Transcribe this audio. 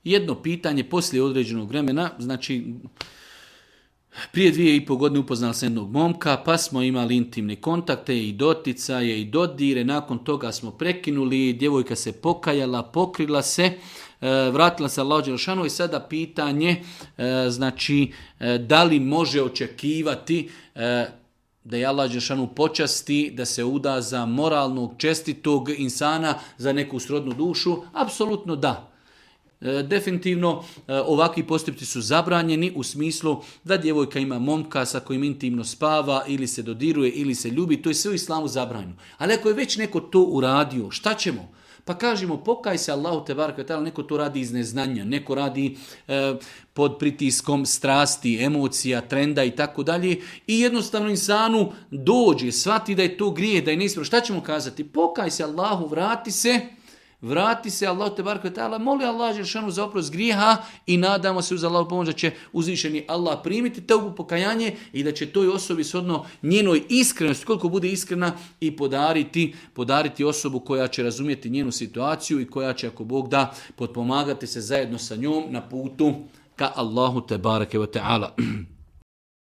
jedno pitanje poslije određenog vremena, znači prije 2,5 godine upoznali sam jednog momka, pa smo imali intimne kontakte i doticaje i dodire, nakon toga smo prekinuli, djevojka se pokajala, pokrila se, vratila se Allahu dželešanu i sada pitanje, znači da li može očekivati da je Allah dželešanu počasti, da se uda za moralnog, čestitog insana, za neku srodnu dušu? Apsolutno da. Definitivno ovakvi postupci su zabranjeni u smislu da djevojka ima momka sa kojim intimno spava ili se dodiruje ili se ljubi, to je sve u islamu zabranjeno. Ali ako je već neko to uradio, šta ćemo? Pa kažemo pokaj se Allahu te bareke ve taala, neko to radi iz neznanja, neko radi pod pritiskom strasti, emocija, trenda i tako dalje i jednostavno insanu dođe, shvati da je to grijeh, da je neispravno. Šta ćemo kazati? Pokaj se Allahu, vrati se Allahu te bareke ve taala, moli Allah dželešanu za oprost grijeha i nadamo se uz Allahu pomoć da će uzvišeni Allah primiti teubu, pokajanje i da će toj osobi shodno njenoj iskrenosti, koliko bude iskrena, i podariti osobu koja će razumjeti njenu situaciju i koja će, ako Bog da, potpomagati se zajedno sa njom na putu ka Allahu te bareke ve taala.